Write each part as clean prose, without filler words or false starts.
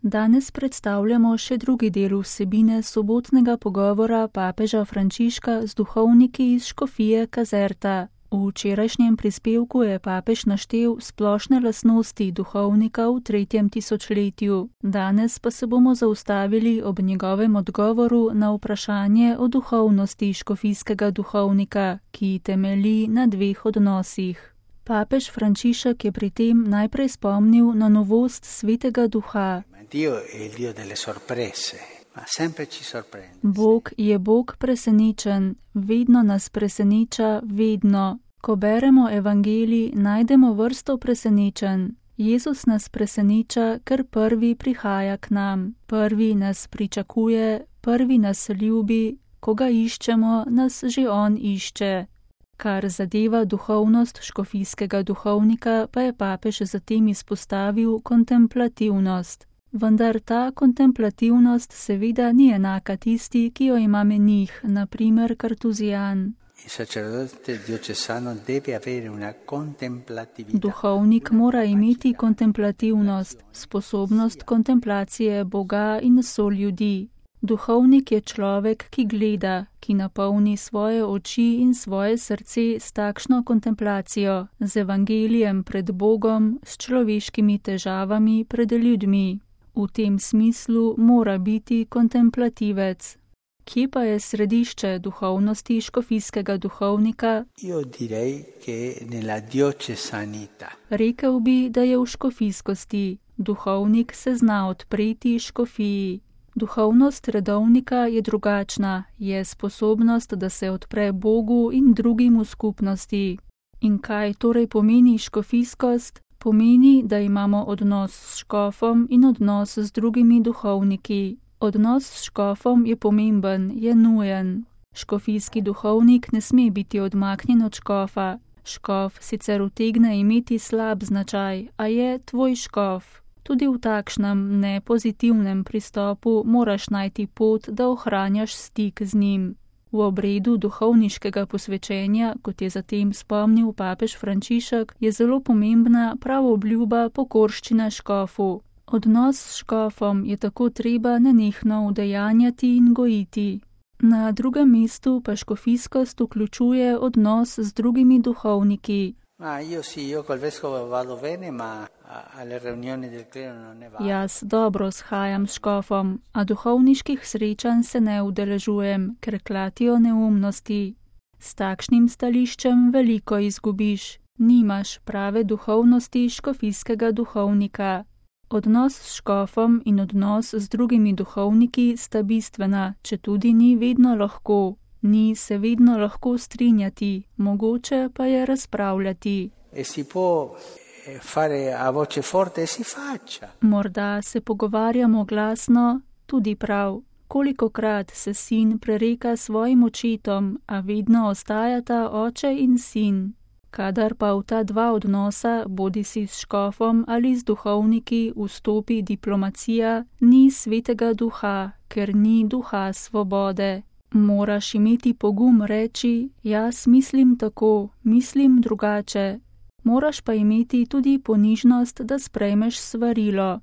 Danes predstavljamo še drugi del vsebine sobotnega pogovora papeža Frančiška z duhovniki iz škofije Caserta. V včerajšnjem prispevku je papež naštel splošne lastnosti duhovnika v 3. tisočletju. Danes pa se bomo zaustavili ob njegovem odgovoru na vprašanje o duhovnosti škofijskega duhovnika, ki temelji na 2 odnosih. Papež Frančišek je pri tem najprej spomnil na novost Svetega Duha. Bog je Bog presenečen, vedno nas preseneča, vedno. Ko beremo evangelij, najdemo vrsto presenečenj. Jezus nas preseneča, ker prvi prihaja k nam, prvi nas pričakuje, prvi nas ljubi, ko ga iščemo, nas že on išče. Kar zadeva duhovnost škofijskega duhovnika, pa je papež zatem izpostavil kontemplativnost. Vendar ta kontemplativnost seveda ni enaka tisti, ki jo ima menih, na primer kartuzijan. Duhovnik mora imeti kontemplativnost, sposobnost kontemplacije Boga in soljudi. Duhovnik je človek, ki gleda, ki napolni svoje oči in svoje srce s takšno kontemplacijo, z evangelijem pred Bogom, s človeškimi težavami pred ljudmi. V tem smislu mora biti kontemplativec. Kje pa je središče duhovnosti škofijskega duhovnika? Rekel bi, da je v škofijskosti. Duhovnik se zna odpreti škofiji. Duhovnost redovnika je drugačna, je sposobnost, da se odpre Bogu in drugim v skupnosti. In kaj torej pomeni škofijskost? Pomeni, da imamo odnos s škofom in odnos z drugimi duhovniki. Odnos s škofom je pomemben, je nujen. Škofijski duhovnik ne sme biti odmaknjen od škofa. Škof sicer utegne imeti slab značaj, a je tvoj škof. Tudi v takšnem nepozitivnem pristopu moraš najti pot, da ohranjaš stik z njim. V obredu duhovniškega posvečenja, kot je zatem spomnil papež Frančišek, je zelo pomembna prav obljuba pokorščina škofu. Odnos s škofom je tako treba nenehno udejanjati in gojiti. Na drugem mestu pa škofijskost vključuje odnos z drugimi duhovniki. Jaz dobro shajam s škofom, a duhovniških srečanj se ne udeležujem, ker klatijo neumnosti. S takšnim stališčem veliko izgubiš. Nimaš prave duhovnosti škofijskega duhovnika. Odnos s škofom in odnos z drugimi duhovniki sta bistvena, četudi ni vedno lahko. Ni se vedno lahko strinjati, mogoče pa je razpravljati. Morda se pogovarjamo glasno, tudi prav. Kolikokrat se sin prereka svojim očetom, a vedno ostajata oče in sin. Kadar pa v ta 2 odnosa, bodisi s škofom ali z duhovniki, vstopi diplomacija, ni Svetega Duha, ker ni duha svobode. Moraš imeti pogum reči, jaz mislim tako, mislim drugače. Moraš pa imeti tudi ponižnost, da sprejmeš svarilo.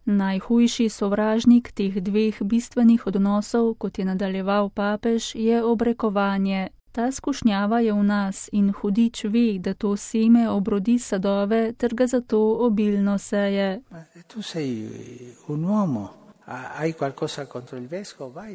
Najhujši sovražnik teh 2 bistvenih odnosov, kot je nadaljeval papež, je obrekovanje. Ta skušnjava je v nas in hudič ve, da to seme obrodi sadove, ter ga zato obilno seje.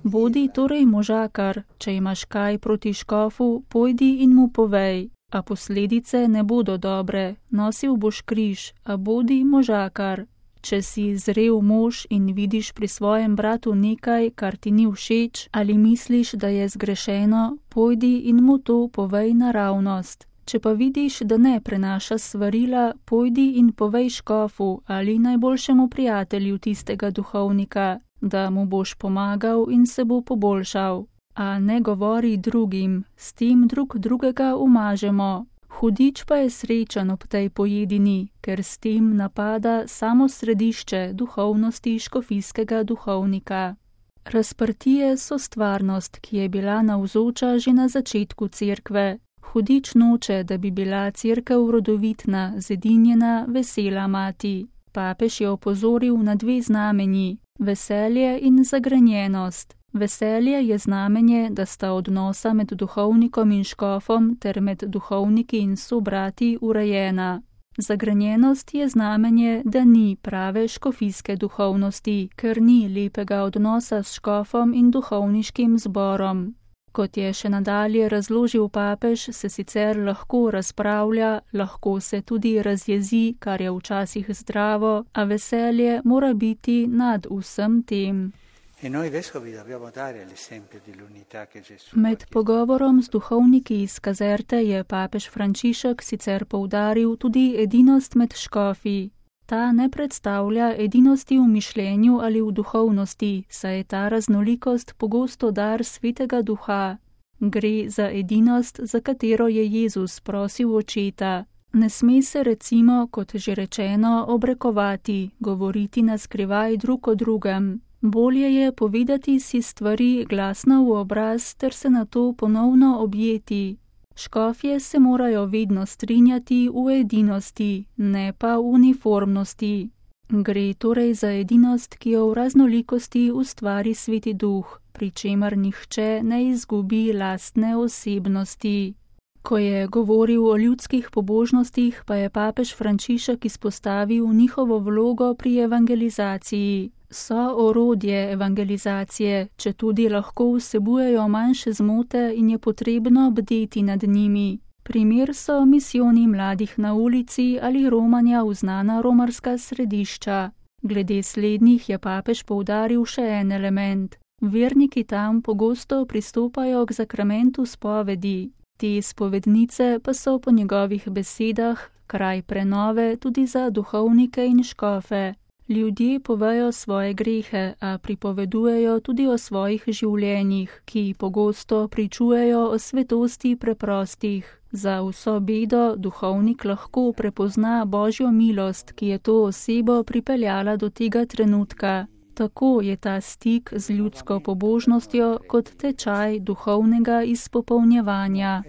Bodi torej možakar, če imaš kaj proti škofu, pojdi in mu povej, a posledice ne bodo dobre, nosil boš križ, a bodi možakar. Če si zrel mož in vidiš pri svojem bratu nekaj, kar ti ni všeč, ali misliš, da je zgrešeno, pojdi in mu to povej naravnost. Če pa vidiš, da ne prenaša svarila, pojdi in povej škofu ali najboljšemu prijatelju tistega duhovnika, da mu boš pomagal in se bo poboljšal. A ne govori drugim, s tem drugega umažemo. Hudič pa je srečen ob tej pojedini, ker s tem napada samo središče duhovnosti škofijskega duhovnika. Razprtije so stvarnost, ki je bila navzoča že na začetku cerkve. Hudič noče, da bi bila cerkev rodovitna, zedinjena, vesela mati. Papež je opozoril na dve znamenji: veselje in zagrenjenost. Veselje je znamenje, da sta odnosa med duhovnikom in škofom ter med duhovniki in sobrati urejena. Zagrenjenost je znamenje, da ni prave škofijske duhovnosti, ker ni lepega odnosa s škofom in duhovniškim zborom. Kot je še nadalje razložil papež, se sicer lahko razpravlja, lahko se tudi razjezi, kar je včasih zdravo, a veselje mora biti nad vsem tem. Med pogovorom z duhovniki iz Kazerte je papež Frančišek sicer poudaril tudi edinost med škofi. Ta ne predstavlja edinosti v mišljenju ali v duhovnosti, saj je ta raznolikost pogosto dar Svetega Duha. Gre za edinost, za katero je Jezus prosil Očeta. Ne sme se recimo, kot že rečeno, obrekovati, govoriti na skrivaj drug o drugem. Bolje je povedati si stvari glasno v obraz ter se nato ponovno objeti. Škofje se morajo vedno strinjati v edinosti, ne pa v uniformnosti. Gre torej za edinost, ki jo v raznolikosti ustvari Sveti Duh, pri čemer nihče ne izgubi lastne osebnosti. Ko je govoril o ljudskih pobožnostih, pa je papež Frančišek izpostavil njihovo vlogo pri evangelizaciji. So orodje evangelizacije, četudi lahko vsebujejo manjše zmote in je potrebno bdeti nad njimi. Primer so misijoni mladih na ulici ali romanja v znana romarska središča. Glede slednjih je papež poudaril še en element. Verniki tam pogosto pristopajo k zakramentu spovedi. Te spovednice pa so po njegovih besedah kraj prenove tudi za duhovnike in škofe. Ljudje povejo svoje grehe, a pripovedujejo tudi o svojih življenjih, ki pogosto pričujejo o svetosti preprostih. Za vso bedo duhovnik lahko prepozna Božjo milost, ki je to osebo pripeljala do tega trenutka. Tako je ta stik z ljudsko pobožnostjo kot tečaj duhovnega izpopolnjevanja.